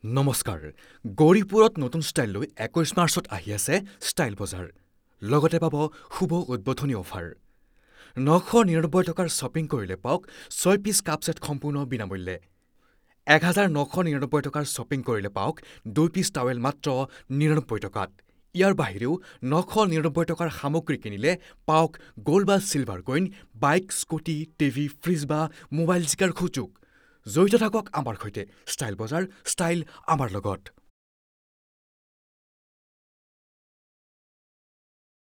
নমস্কাৰ, গৌৰীপুৰত নতুন ষ্টাইল লৈ 21 মাৰ্চত আহি আছে ষ্টাইল বজাৰ। লগতে পাব শুভ উদ্বোধনী অফাৰ। 999 টকাৰ শ্বপিং কৰিলে পাওক 6 পিচ কাপ ছেট সম্পূৰ্ণ বিনামূল্যে। 1999 টকাৰ শ্বপিং কৰিলে পাওক 2 পিচ টাৱেল মাত্ৰ 99 টকাত। ইয়াৰ বাহিৰেও 999 টকাৰ সামগ্ৰী কিনিলে পাওক গ'ল্ড বা silver coin, bike, scooty, TV, fridge বা মোবাইল জিকাৰ সুযোগ। জড়িত থাকক আমাৰ সৈতে। ষ্টাইল বজাৰ, ষ্টাইল আমাৰ লগত।